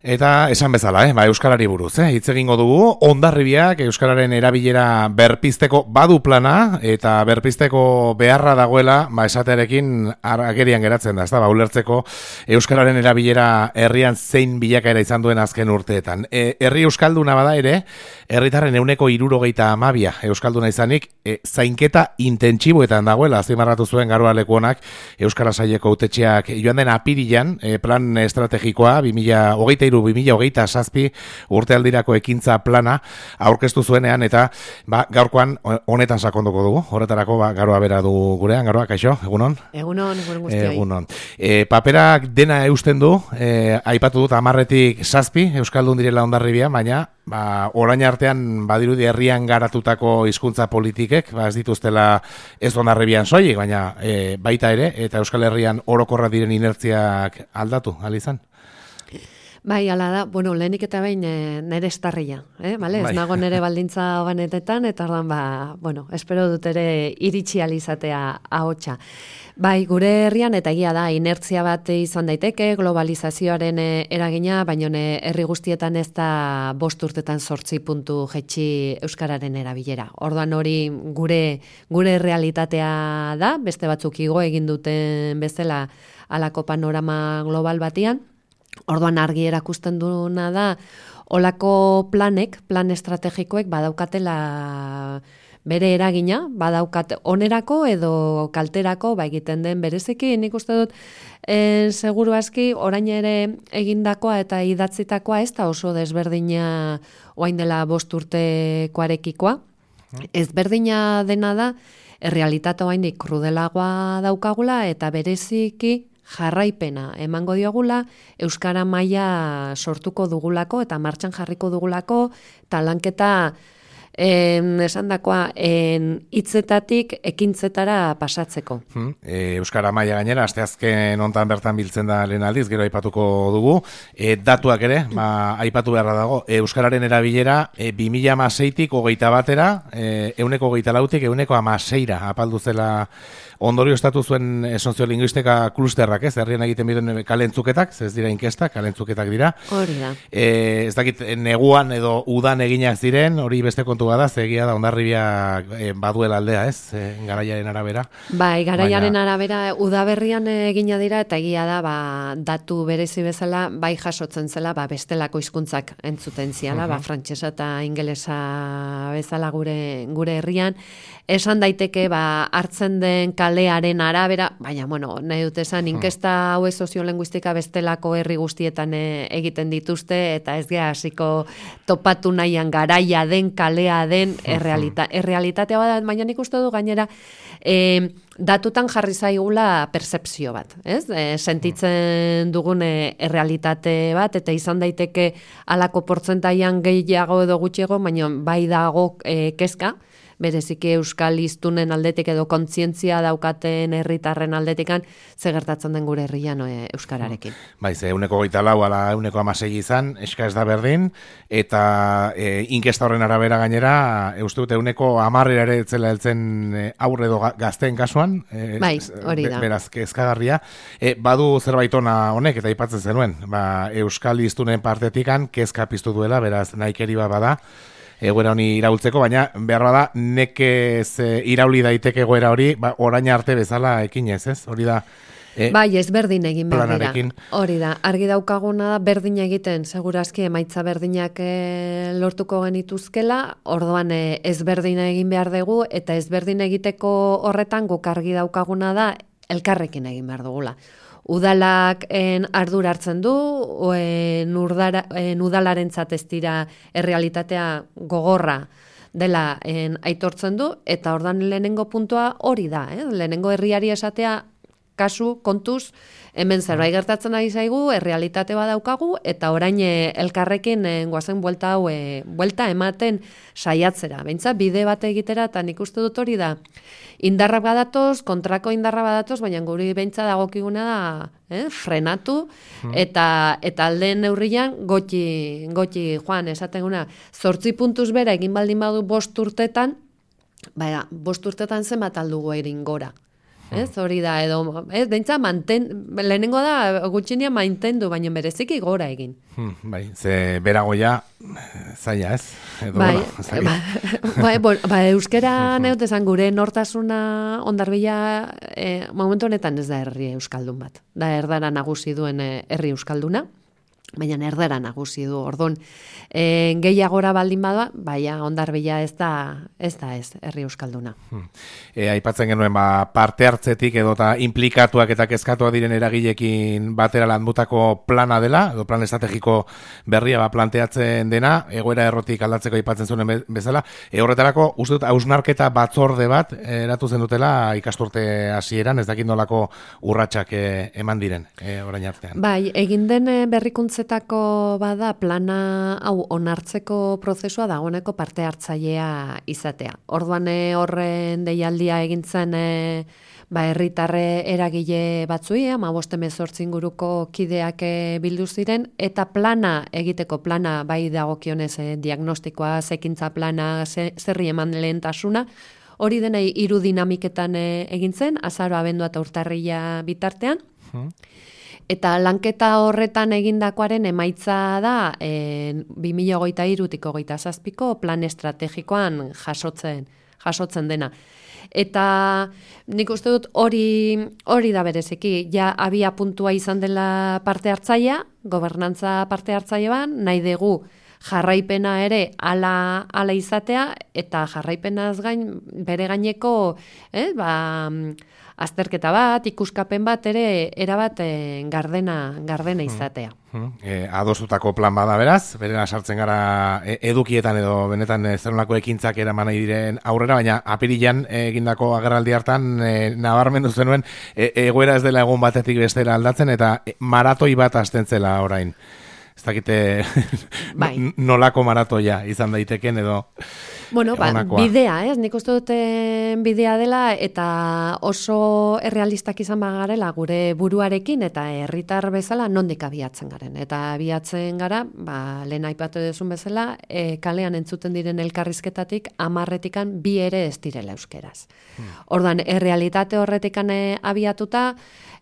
Eta esan bezala, Euskarari buruz, hitz egingo dugu, Hondarribiak Euskararen erabilera berpizteko badu plana, eta berpizteko beharra dagoela, esatearekin agerian geratzen da, ez da, ulertzeko Euskararen erabilera herrian zein bilakaera izan duen azken urteetan. Herri Euskalduna bada ere, herritarren 62% Euskalduna izanik, zainketa intentsiboetan dagoela, azpimarratu zuen Garoa Lekuonak, Euskara Saileko hautetxeak joan den apirilan, plan estrategikoa, 2023-2027 urtealdirako ekintza plana aurkeztu zuenean, eta gaurkoan honetan sakonduko dugu. Horretarako Garoa bera du gurean. Garoa, kaixo, egunon? Egunon guztioi. Egunon. Paperak dena eusten du, aipatu dut 10-7 Euskaldun direla Hondarribian, baina orain artean badirudi herrian garatutako hizkuntza politikek, ez dituztela ez Hondarribian soilik, baina baita ere, eta Euskal Herrian orokorra diren inertziak aldatu, izan? Bai, ala da, lehenik eta behin nere estarria, vale? Ez nago nere baldintza banetetan, eta ordan, espero dut ere iritsi alizatea ahotsa. Bai, gure herrian eta egia da, inertzia bat izan daiteke, globalizazioaren eragina, baina herri guztietan ez da 5 urtetan 8 puntu jetxi Euskararen erabilera. Orduan hori gure realitatea da, beste batzuk igo egin duten bezala halako panorama global batian. Orduan argi erakusten duena da, olako plan estrategikoek badaukatela bere eragina, badaukat onerako edo kalterako, egiten den bereziki, nik uste dut, seguru aski, orain ere egindakoa eta idatzitakoa ez da oso desberdina orain dela 5 urtekoarekikoa. Ezberdina dena da, errealitate oraindik krudelagoa daukagula eta bereziki jarraipena emango diogula, Euskara maila sortuko dugulako eta martxan jarriko dugulako, eta lanketa esandakoa hitzetatik ekintzetara pasatzeko. Euskara maila gainera, asteazken hontan bertan biltzen da lehen aldiz, gero aipatuko dugu. Datuak ere, aipatu beharra dago, Euskararen erabilera 2016-tik 21-era, 24-tik 16-ra apaldu zela. Ondorio estatu zuen soziolinguistika klusterrak, herrian egiten biren kalentzuketak, ez dira inkestak, kalentzuketak dira. Hori da. Ez dakit, neguan edo udan eginak ziren, hori beste kontu bada, egia da Hondarribia baduela aldea, ez? Garaiaren arabera. Bai, garaiaren arabera udaberrian egina dira, eta egia da, datu berezi bezala, bai jasotzen zela, bestelako hizkuntzak entzuten ziala, frantsesa eta ingelesa bezala gure herrian. Esan daiteke, hartzen den kalearen arabera, baina, nahi dut esan, inkesta hau soziolinguistika bestelako herri guztietan egiten dituzte, eta ez gea hasiko topatu nahian garaia den, kalea den, errealitatea bada, baina nik uste du gainera, datutan jarri zaigula percepzio bat, ez? Sentitzen dugun errealitate bat, eta izan daiteke halako portzentaian gehiago edo gutxiago, baina bai dago kezka, bereziki euskal hiztunen aldetik edo kontzientzia daukaten herritarren aldetikan ze gertatzen den gure herrian euskararekin. Bai, ze 24 ala 16 izan, eska ez da berdin, eta inkesta horren arabera gainera, uste dut 10 ere etzela heltzen aurre edo gazteen kasuan, bai, hori da. Beraz, kezkagarria. Badu zerbait ona honek, eta aipatzen zenuen, euskal hiztunen partetikan kezka piztu duela, beraz, nahikeri bada, egoera honi iraultzeko, baina behar bada nekez irauli daiteke egoera hori, orain arte bezala ekinez, ez? Hori da bai, ez berdin egin behar dira. planarekin. Hori da, argi daukaguna da berdin egiten, segurazki emaitza berdinak lortuko genituzkela, orduan ez berdin egin behar dugu, eta ez berdin egiteko horretan guk argi daukaguna da elkarrekin egin behar dugula. Udalak ardura hartzen du, udalarentzat ez dira errealitatea gogorra dela aitortzen du, eta ordan lehenengo puntua hori da, lehenengo herriari esatea kasu, kontuz, hemen zerbait gertatzen ari zaigu, errealitate badaukagu, eta orain elkarrekin goazen buelta ematen saiatzera. Behintzat, bide bat egitera, eta nik uste dut hori da, indarra badatoz, kontrako indarra badatoz, baina guri behintzat dagokiguna da, frenatu, eta aldeen neurrian goti joan, esaten 8 puntuz bera egin baldin badu 5 urtetan, 5 urtetan zenbat aldugu egin gora. Ez, hori da, edo, ez, deintza lehenengo da gutxinia mantendu, baina bereziki gora egin. Bai, ze beragoia zaila, ez? Edo, euskera neutezan gure nortasuna Hondarbila momentu honetan ez da herri euskaldun bat. Da erdara nagusi duen herri euskalduna, baina erdara nagusi du. Orduan, gehiagora baldin bada, baina Hondarbila ez da herri euskalduna. Aipatzen genuen parte hartzetik edota implikatuak eta kezkatuak diren eragilekin batera landutako plana dela, edo plan estrategiko berria planteatzen dena, egoera errotik aldatzeko aipatzen zuen bezala. Horretarako, uste dut, hausnarketa batzorde bat eratu zen dutela ikasturte hasieran, ez dakit nolako urratsak eman diren orain artean. Bai, egin den berrikuntzetako bada plana hau onartzeko prozesua dagoeneko parte hartzailea izatea. Orduan horren deialdia egintzen herritarre eragile batzui, 15-18 inguruko kideak bildu ziren, eta plana egiteko plana bai dagokionez diagnostikoa, ekintza plana, zerri eman lehentasuna, hori dena hiru dinamiketan egintzen, azaro, abendua eta urtarrila bitartean. Eta lanketa horretan egindakoaren emaitza da 2023-2027ko plan estrategikoan jasotzen dena. Eta nik uste dut hori da bereziki, ja abia puntua izan dela parte hartzailea, gobernantza parte hartzailean, nahi dugu jarraipena ere ala izatea, eta jarraipenaz gain bere gaineko azterketa bat, ikuskapen bat ere erabat gardena izatea. Adostutako plan bada beraz, berena sartzen gara edukietan edo benetan zerunako ekintzak eraman nahi diren aurrera, baina apirilan egindako agerraldi hartan nabarmendu zenuen egoera ez dela egun batetik bestera aldatzen eta maratoi bat hasten zela orain. Ez dakite nolako maratoia izan daiteken edo... Bueno, bidea, nik uste dut bidea dela eta oso errealistak izan bagarela gure buruarekin eta herritar bezala nondik abiatzen garen. Eta abiatzen gara, lehen aipatu duzun bezala, kalean entzuten diren elkarrizketatik 10-etikan 2 ere ez direla euskeraz. Orduan, errealitate horretikan abiatuta,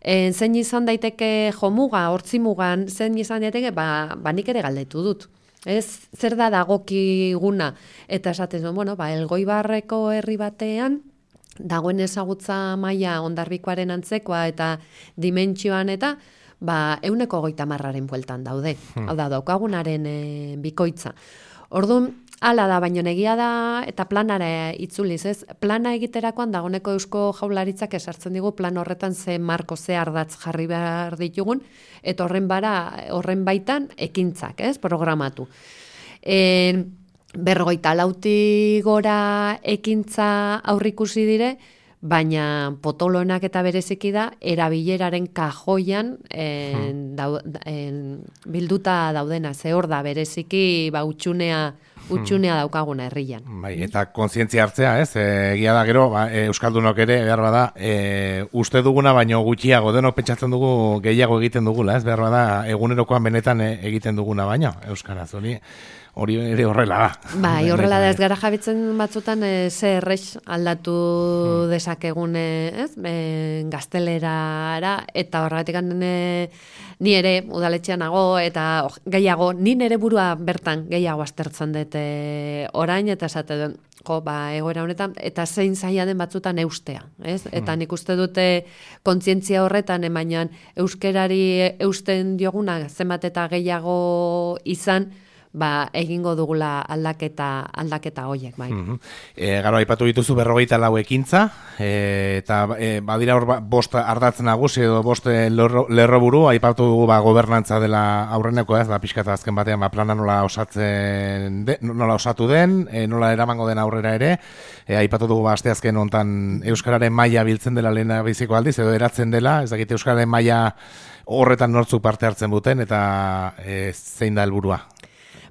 zein izan daiteke jomuga, hortzimugan, zein izan daiteke, nik ere galdetu dut. Ez, zer da dagokiguna, eta esaten zuen, Elgoibarreko herri batean, dagoen ezagutza maila Hondarbikoaren antzekoa eta dimentsioan eta, 130-aren bueltan daude. Hau da, daukagunaren bikoitza. Orduan, hala da, baino negia da, eta planara itzuliz, ez? Plana egiterakoan dagoeneko Eusko Jaurlaritzak esartzen digu plan horretan ze marko, ze ardatz jarri behar ditugun, eta horren baitan ekintzak, ez? Programatu. 54 gora ekintza aurrikusi dire, baina potoloenak eta bereziki da, erabileraren kajoian bilduta daudena, ze hor da bereziki utxunea daukaguna herrian. Bai, eta kontzientzia hartzea, ez? Egia da gero, euskaldunok ere, behar bada, uste duguna, baino gutxiago, denok pentsatzen dugu gehiago egiten dugula, ez? Behar bada, egunerokoan benetan egiten duguna baino, euskaraz, hori ere horrela da. Bai, horrela da, ez gara jabitzen batzutan ze errex aldatu dezakegun, ez? Gaztelerara, eta horregatik ni ere udaletxean nago, eta gehiago, ni nere burua bertan gehiago aztertzen dut orain, eta esate duen, egoera honetan, eta zein zaila den batzutan eustea, ez? Eta nik uste dute kontzientzia horretan, baina euskerari eusten dioguna zenbat eta gehiago izan, egingo dugula aldaketa hoiek, bai. Garo, aipatu dituzu 54 ekintza, eta badira hor 5 ardatz nagusi edo 5 lerroburu, aipatu dugu gobernantza dela aurreneko, ez, pixka eta azken batean plana nola osatu den, nola eramango den aurrera ere, aipatu dugu asteazken hontan euskararen maila biltzen dela lehena biziko aldiz, edo eratzen dela, ez dakit euskararen maila horretan nortzuk parte hartzen duten, eta zein da helburua?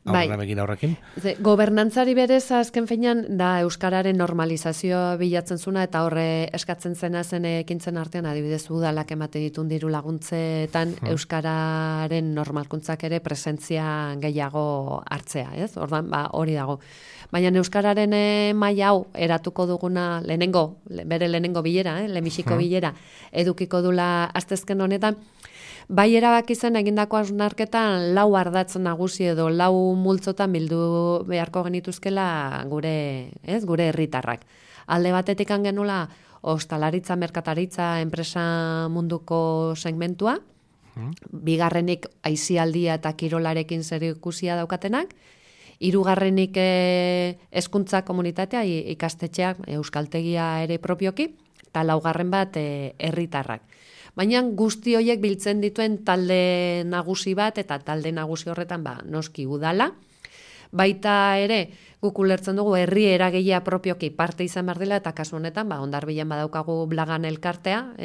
horrekin. Gobernantzari berez azken finean da euskararen normalizazioa bilatzen zuna eta horre eskatzen zena zen ekintzen artean adibidez udalak ematen ditun diru laguntzetan euskararen normalkuntzak ere presentzia gehiago hartzea, ez? Ordan hori dago. Baina euskararen maila hau eratuko duguna bere lehenengo bilera, lehenbiziko bilera edukiko dula astezken honetan. Bai erabaki zen egindako hausnarketan 4 ardatz nagusi edo 4 multzotan bildu beharko genituzkela gure herritarrak. Alde batetik genula ostalaritza, merkataritza, enpresa munduko segmentua, bigarrenik aisialdia eta kirolarekin zerikusia daukatenak, hirugarrenik hezkuntza komunitatea, ikastetxeak, euskaltegia ere propioki, eta laugarren bat herritarrak. Baina guzti horiek biltzen dituen talde nagusi bat, eta talde nagusi horretan noski udala. Baita ere, guk ulertzen dugu herri eragileak propioki parte izan behar dela, eta kasu honetan, Hondarbilen badaukagu Blagan elkartea,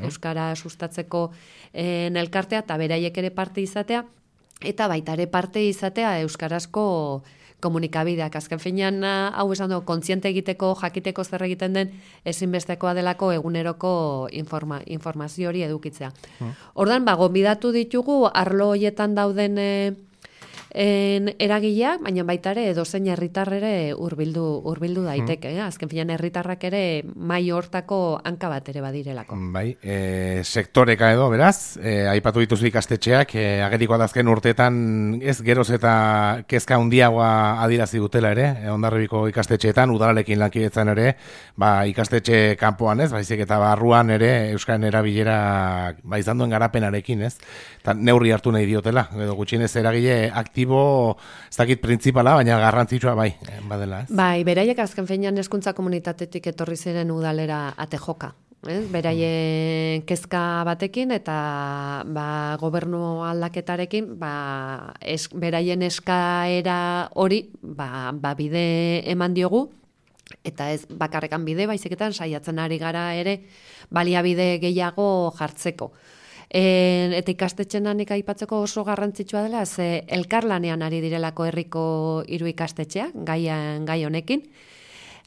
euskara sustatzeko elkartea, eta beraiek ere parte izatea, eta baita ere parte izatea euskarazko komunikabideak. Azken finean, hau esan dugu, kontziente egiteko, jakiteko zer egiten den, ezinbestekoa delako eguneroko informazio hori edukitzea. Ordan, gonbidatu ditugu, arlo hoietan dauden eragileak, baina baita ere edozein herritarrere hurbildu daiteke. Azken finean herritarrak ere mai hortako hanka bat ere badirelako. Bai, sektoreka edo, beraz, aipatu dituzu ikastetxeak, agerikoa da azken urteetan ez geroz eta kezka handiagoa adierazi dutela ere, Hondarribiko ikastetxeetan, udalarekin lankidetzan ere, ikastetxe kanpoan ez, baizik eta barruan ere euskaren erabilera izan duen garapenarekin ez, eta neurri hartu nahi diotela, edo gutxienez eragile aktibo, ez dakit printzipala, baina garrantzitsua badela, ez? Bai, beraiek azken finean hezkuntza komunitatetik etorri ziren udalera ate joka. Beraien kezka batekin eta gobernu aldaketarekin beraien eskaera hori bide eman diogu, eta ez bakarrekan bide, baizeketan saiatzen ari gara ere baliabide gehiago jartzeko. Eta ikastetxean nik aipatzeko oso garrantzitsua dela, ze elkarlanean ari direlako herriko 3 ikastetxeak, gai honekin.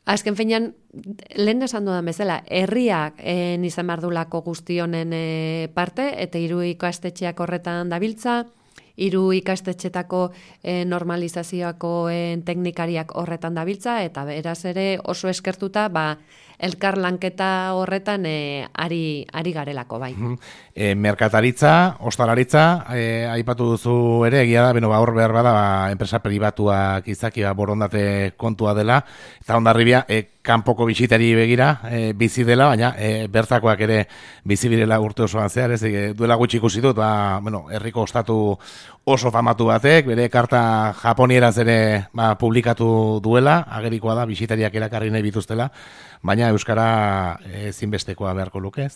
Azken finean, lehen esan dudan bezala, herriak izan bardulako guzti honen parte, eta 3 ikastetxeak horretan dabiltza, 3 ikastetxetako normalizazioako teknikariak horretan dabiltza, eta beraz ere oso eskertuta, elkar lanketa horretan ari garelako, bai. Merkataritza, ostalaritza, aipatu duzu ere, egia da, hor behar bada, enpresa pribatuak izaki borondate kontua dela, eta Hondarribia, kanpoko bisitari begira bizi dela, baina bertakoak ere bizi birela urte osoan zehar, ez duela gutxi ikusi dut, herriko ostatu oso famatu batek, bere karta japonieraz ere publikatu duela, agerikoa da, bisitariak erakarri nahi bituztela, baina euskara ezinbestekoa beharko lukez,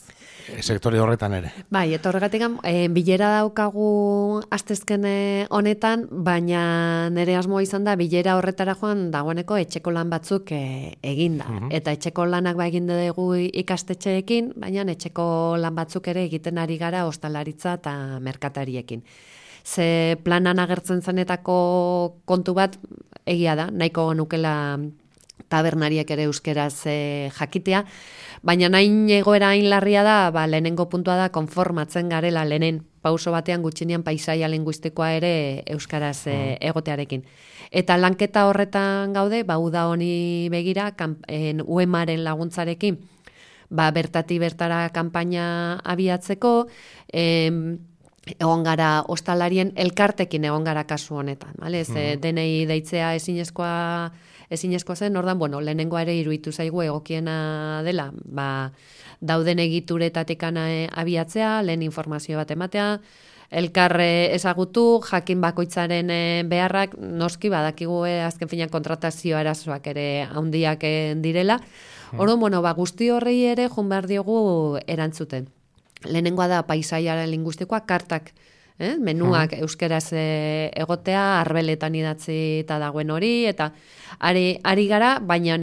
sektore horretan ere. Bai, eta horregatik bilera daukagu astezken honetan, baina nire asmoa izan da, bilera horretara joan dagoeneko etxeko lan batzuk egin da. Eta etxeko lanak egin dugu ikastetxeekin, baina etxeko lan batzuk ere egiten ari gara ostalaritza eta merkatariekin. Ze planan agertzen zenetako kontu bat egia da, nahiko nukela tabernariek ere euskeraz jakitea, baina nahin egoera hain larria da, lehenengo puntua da konformatzen garela lehenen pauso batean gutxinean paisaia linguistikoa ere euskaraz egotearekin. Eta lanketa horretan gaude, uda honi begira, UEMaren laguntzarekin, bertati bertara kanpaina abiatzeko, egon gara ostalarien elkartekin egon gara kasu honetan, bale? Denei deitzea ezinezkoa zen, ordan, lehenengoa ere iruditu zaigu egokiena dela, dauden egituretatik abiatzea, lehen informazio bat ematea, elkar ezagutu, jakin bakoitzaren beharrak, noski badakigu azken finean kontratazio arazoak ere handiak direla. Orduan, guzti horrei ere joan behar diogu erantzuten. Lehenengoa da paisaiaren linguistikoa, kartak, menuak euskeraz egotea, arbeletan idatzi eta dagoen hori, eta ari gara, baina,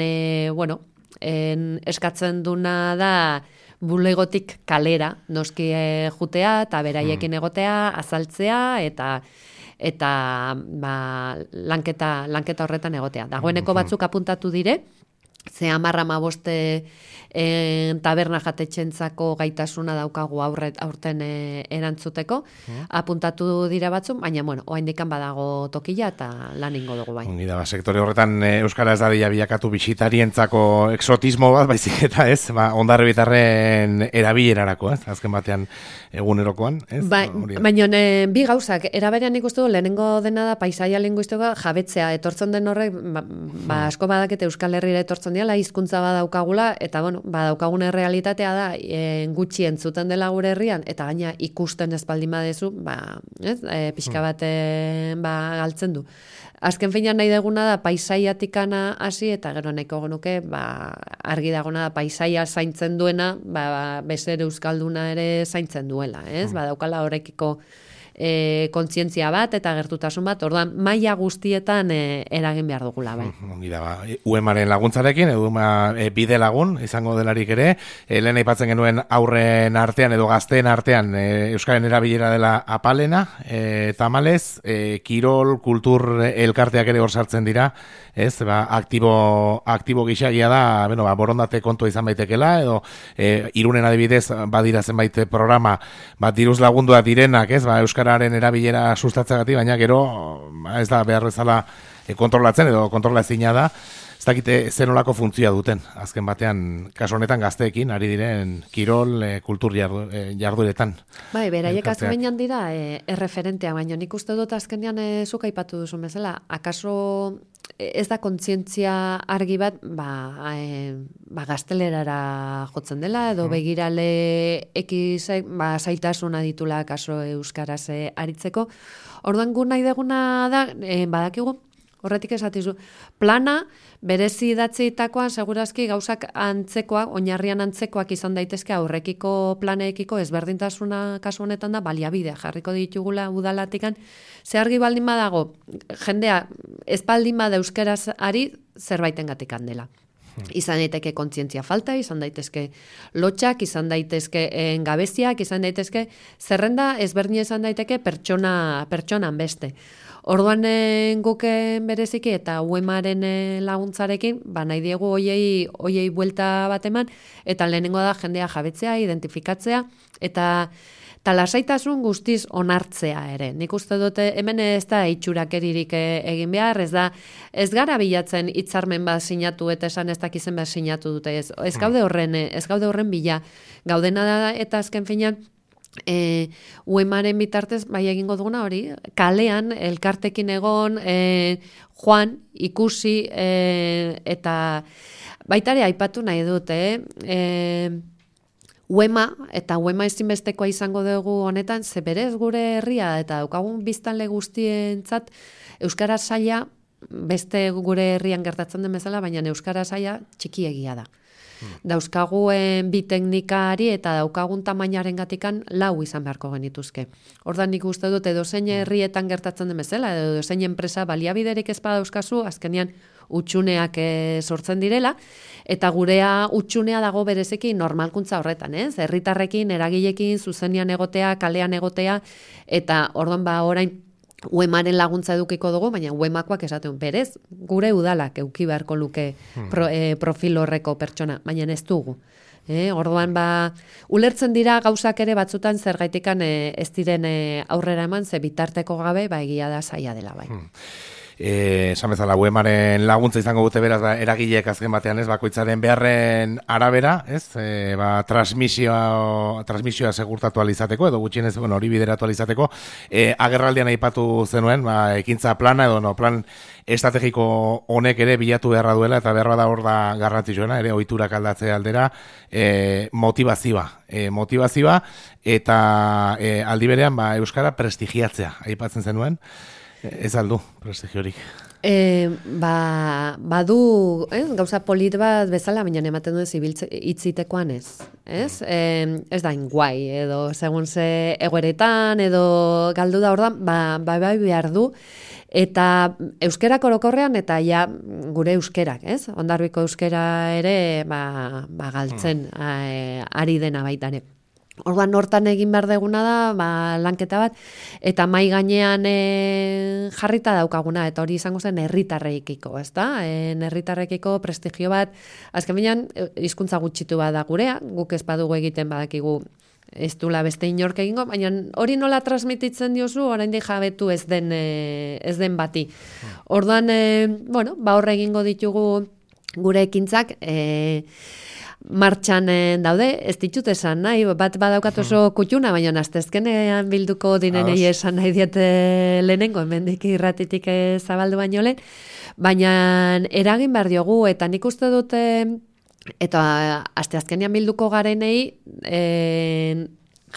eskatzen duna da bulegotik kalera, noski jutea, eta beraiekin egotea, azaltzea, eta eta lanketa horretan egotea. Dagoeneko batzuk apuntatu dire, ze 10-15 taberna jatetxentzako gaitasuna daukagu aurten erantzuteko, apuntatu dira batzuk, baina, oraindikan badago tokila eta lan ingo dugu bai. Ongi da, sektore horretan euskara ez dadila bilakatu bisitarientzako exotismo bat, baizik eta ez, Hondarribitarren erabilerarako, azken batean egunerokoan, ez? Baina bi gauzak, eraberean ikustu du, lehenengo dena da paisaia linguistikoa jabetzea, etortzen den horrek, asko badakete Euskal Herrira etortzen diala, hizkuntza badaukagula, eta badaukagun errealitatea da, gutxi entzuten dela gure herrian, eta gaina ikusten ez baldin badezu, pixka bat galtzen du. Azken finean nahi deguna da paisaiatikana hasi, eta gero nahiko genuke, argi dagona da paisaia zaintzen duena, bezer euskalduna ere zaintzen duela, ez? Badaukala horrekiko kontzientzia bat eta gertutasun bat, orduan maila guztietan eragin behar dugula, bai. Ongi da, UEMaren laguntzarekin, bide lagun izango delarik ere, lehen aipatzen genuen aurren artean edo gazteen artean euskaren erabilera dela apalena, tamalez, kirol, kultur elkarteak ere hor sartzen dira, ez, aktibo gixagia da, borondate kontua izan baitekela, edo Irunen adibidez badira zenbait programa, diruz lagundua direnak, ez, euskararen erabilera sustatzagatik, baina gero ez da behar bezala kontrolatzen edo kontrolazina da, ez dakite zer nolako funtzioa duten, azken batean, kasu honetan gazteekin, ari diren kirol, kultur jardueretan. Bai, beraiek azkenean dira erreferentea, baina nik uste dut azkenean zuk aipatu duzu bezala, akaso ez da kontzientzia argi bat, gaztelerara jotzen dela, edo begirale ekizek, zaitasuna ditula kaso euskaraz aritzeko. Orduan gu nahi deguna da, badakigu, horretik esatizu, plana, berezi idatzitakoan segurazki gauzak antzekoak, oinarrian antzekoak izan daitezke aurrekiko planeekiko ezberdintasuna kasu honetan da baliabide jarriko ditugula udalatikan, ze argi baldin badago, jendea ez baldin bada euskeraz ari zerbaitengatik handela. Izan daiteke kontzientzia falta, izan daitezke lotxak, izan daitezke gabeziak, izan daitezke zerrenda ezberdin izan daiteke pertsonan beste. Orduan guken bereziki eta UEMaren laguntzarekin, nahi diegu hoiei buelta bat eman, eta lehenengo da jendea jabetzea, identifikatzea, eta lasaitasun guztiz onartzea ere. Nik uste dute hemen ez da itxurakeririk egin behar, ez gara bilatzen hitzarmen bat sinatu eta esan ez dakizen bat sinatu dute. Ez gaude horren bila. Gaudena da eta azken finean, UEMaren bitartez bai egingo duguna hori, kalean elkartekin egon, joan, ikusi, eta baitare aipatu nahi dut, UEMA, eta UEMA ezinbestekoa izango dugu honetan, ze berez gure herria eta daukagun biztanle guztientzat euskara saila, beste gure herrian gertatzen den bezala, baina euskara saila txikiegia da. Dauzkaguen bi teknikari eta daukagun tamainaren gatikan 4 izan beharko genituzke. Ordan nik uste dut edozein herrietan gertatzen den bezala, edozein enpresa baliabiderik ez badauzkazu, azkenean utxuneak sortzen direla, eta gurea utxunea dago berezeki normalkuntza horretan, ez? Herritarrekin, eragilekin, zuzenean egotea, kalean egotea, eta orduan orain UEMaren laguntza edukiko dugu, baina UEMakoak esaten berez, gure udalak euki beharko luke profil horreko pertsona, baina ez dugu. Orduan ulertzen dira gauzak ere batzutan zergaitikan ez diren aurrera eman, ze bitarteko gabe egia da zaila dela bai. Esan bezala, UEMaren laguntza izango dute beraz eragileek azken batean, ez, bakoitzaren beharren arabera, ez, transmisioa segurtatu alizateko, edo gutxienez, hori bideratu alizateko, agerraldian aipatu zenuen, ekintza plana, edo plan estrategiko honek ere bilatu beharra duela, eta beharra da hor da garrantzitsuena, ere ohiturak aldatzea aldera, motivazioa, eta aldi berean, euskara prestigiatzea, aipatzen zenuen, ez aldu, prestigiorik. Badu, gauza polit bat bezala, baina ematen duen hitzitekoan ez. Ez da inguai, edo segun ze egoeretan, edo galdu da ordan, bai behar du, eta euskerak orokorrean, eta ja gure euskerak, ez? Hondarribiko euskera ere, galtzen ari dena baita ere. Orduan hortan egin behar deguna da, lanketa bat, eta mai gainean jarrita daukaguna, eta hori izango zen herritarrekiko, ezta? Herritarrekiko prestigio bat, azken binean, hizkuntza gutxitu bat da gurea, guk ez badugu egiten badakigu ez dula beste inork egingo, baina hori nola transmititzen diozu, oraindik jabetu ez den bati. Orduan, horre egingo ditugu gure ekintzak, martxan daude, ez ditut esan nahi, bat badaukat oso kutxuna, baina astezkenean bilduko dinenei esan nahi diete lehenengo, hemendik irratitik zabaldu baino lehen, baina eragin behar diogu, eta nik uste dute, eta asteazkenean bilduko garenei,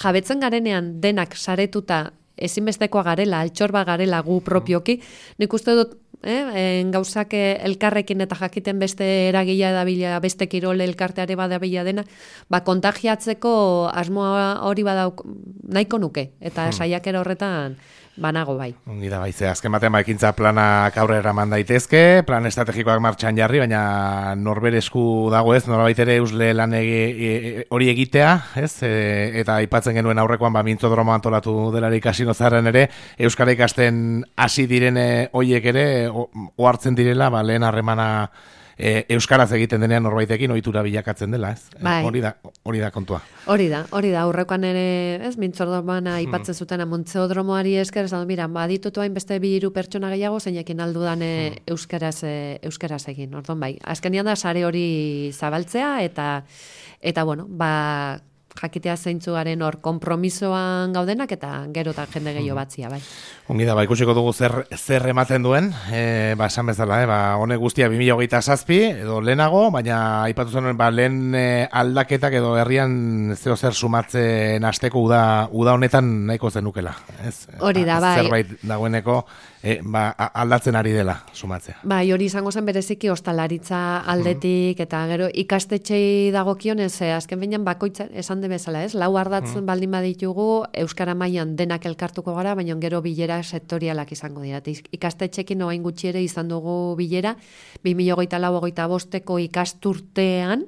jabetzen garenean denak saretuta, ezinbestekoa garela, altxorba garela gu propioki, nik uste dut, gauzak elkarrekin eta jakiten beste eragila edabila, beste kirole elkarteare badabila dena, kontagiatzeko asmoa hori badauk nahiko nuke, eta saiakera horretan banago bai. Ongi da bai, azken batean ekintza planak aurrera eman daitezke, plan estrategikoak martxan jarri, baina norbere esku dago ez, norbait ere eusle lan hori egitea, ez? Eta aipatzen genuen aurrekoan mintzodromo antolatu delarik kasino zarren ere, euskara ikasten hasi direne hoiek ere, ohartzen direla, lehen harremana euskaraz egiten denean norbaitekin ohitura bilakatzen dela, ez? Bai. Hori da kontua. Hori da, aurrekoan ere, ez, mintzordoman aipatzen zuten mintzodromoari esker, esan mira, baditutu hain beste 2-3 pertsona gehiago, zeinekin aldudan euskaraz egin. Orduan bai, azkenian da sare hori zabaltzea, eta bueno, jakitea zeintzugaren hor konpromisoan gaudenak eta gero eta jende gehiago batzia, bai. Ongi da, ikusiko dugu zer ematen duen, esan bezala, honek guztia 2027 edo lehenago, baina aipatu zen lehen aldaketak edo herrian zer sumatzen hasteko uda honetan nahiko zenukela. Hori da, bai. Zerbait dagoeneko aldatzen ari dela sumatzea. Bai, hori izango zen bereziki ostalaritza aldetik eta gero ikastetxei dagokionez, azken behinan bakoitza esan de bezala, ez? 4 ardatzen baldin baditugu, euskara mailan denak elkartuko gara, baina gero bilera sektorialak izango dira. Ikastetxekin orain gutxi ere izan dugu bilera, 2024-25ko ikasturtean,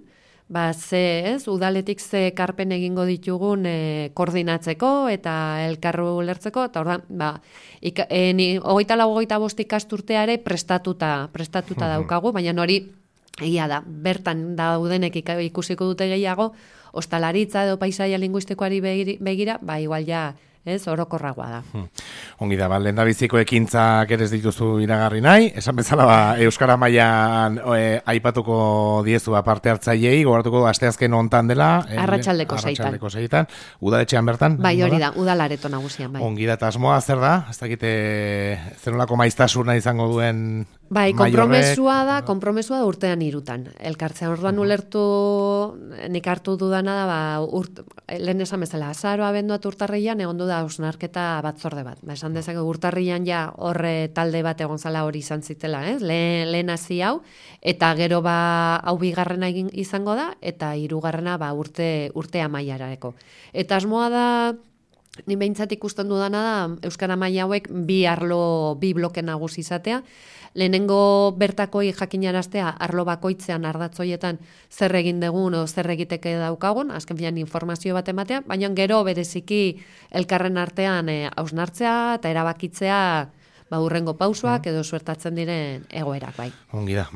udaletik ze karpen egingo ditugun koordinatzeko eta elkarru lertzeko, eta ordan, 24-25 ikasturteare prestatuta daukagu, baina hori egia da, bertan daudenek ikusiko dute gehiago, ostalaritza edo paisaia linguistikoari begira, igual ja, orokorragoa da. Ongi da, lehendabiziko ekintzak ere ez dituzu iragarri nahi, esan bezala euskara mailan aipatuko diezu parte hartzaileei, gogoratuko asteazken hontan dela, arratsaldeko seitan. Udaletxean bertan? Bai, hori da, udalareto nagusian, bai. Ongi da, eta asmoa zer da? Ez dakite zenolako maiztasuna izango duen. Bai, konpromesua da urtean 3 elkartzea. Orduan nik hartu dudana da, lehen esan bezala, azaroa abenduat urtarrian egon du da hausnarketa batzorde bat. Esan dezake urtarrian ja horre talde bat egon zala hori izan zitela, lehen hasi hau, eta gero hau bigarrena izango da, eta 3. urte amaiarareko. Eta asmoa da, ni behintzat ikusten dudana da, euskara maila hauek 2 bloke nagusi izatea, lehenengo bertakoi jakinaraztea arlo bakoitzean ardatzoietan zer egin dugun o zer egiteke daukagun, azken finean informazio bat ematea, baina gero bereziki elkarren artean hausnartzea eta erabakitzea hurrengo pausoak edo suertatzen diren egoerak, bai. Ongi da,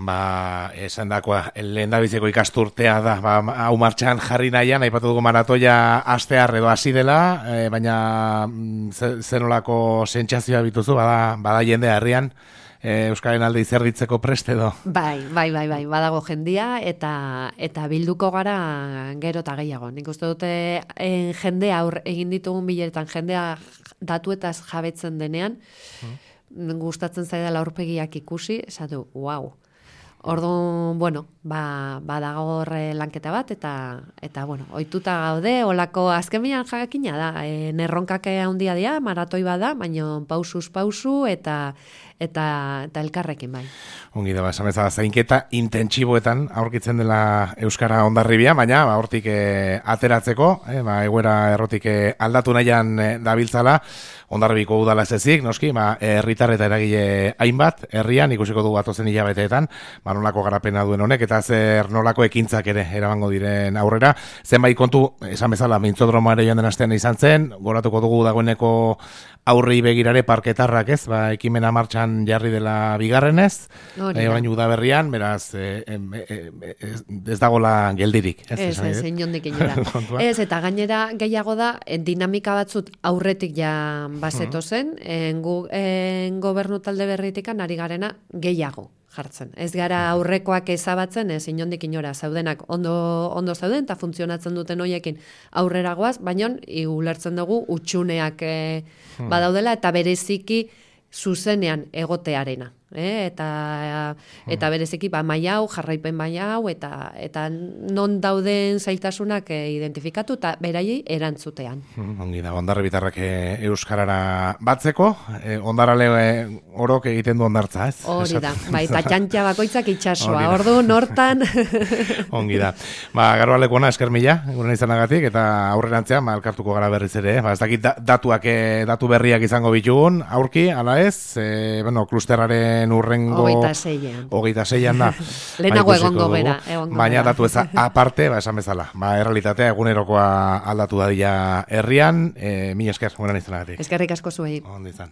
esan dakoa, lehendabiziko ikasturtea da, hau martxan jarri nahian, aipatu dugu maratoia astear edo hasi dela, baina zenolako sentsazioa bituzu, bada jende herrian, euskaren alde izerditzeko prest edo? Bai, badago jendia eta bilduko gara gero eta gehiago. Nik uste dute jendea egin ditugun bileretan, jendea datuetaz jabetzen denean, gustatzen zaidala aurpegiak ikusi, esatu, wow. Orduan, badago horre lanketa bat, eta ohituta gaude, olako azken bilan jakina da, nerronkak handia dira, maratoi bada, baina pausuz pausu, eta eta elkarrekin bai. Ongi da, esan bezala, zainketa intentsiboetan aurkitzen dela Euskara Hondarribia, baina hortik ateratzeko, egoera errotik aldatu nahian dabiltzala, Hondarribiko udala ez ezik, noski, herritar eta eragile hainbat, herrian ikusiko dugu atozen hilabeteetan, nolako garapena duen honek, eta zer nolako ekintzak ere eramango diren aurrera. Zenbait kontu, esan bezala, mintzodromoa ere joan den astean izan zen, goratuko dugu dagoeneko aurri begirare parketarrak ez, ekimena martxan jarri dela bigarrenez, orain udaberrian, beraz, ez dagola geldirik. Ez, inondik inora. Ez, eta gainera gehiago da, dinamika batzut aurretik ja bazeto zen, gobernu talde berritikan ari garena gehiago jartzen. Ez gara aurrekoak ezabatzen, ez inondik inora zaudenak ondo zauden, eta funtzionatzen duten hoiekin aurrera goaz, baina ulertzen dugu utxuneak badaudela, eta bereziki zuzenean egotearena. Eta bereziki maila hau, jarraipen maila hau, eta non dauden zailtasunak identifikatu eta beraiei erantzutean. Ongi da, Hondarribitarrak euskarara batzeko, Hondarale orok egiten du hondartza, ez? Hori da, eta txantxa bakoitzak itxasoa, ordu nortan. Ongi da. Garo alekuona, esker mila, gure izanagatik, eta aurrerantzean, elkartuko gara berriz ere, ez dakit datu berriak izango bitugun, aurki, ala ez, klusterraren urrengo 26an da. Lehenago egongo gera. Baina datu eza aparte, esan bezala. Errealitatea egunerokoa aldatu dadila herrian. Mila esker, gurean izanagatik. Eskerrik asko zuei. Ondo izan.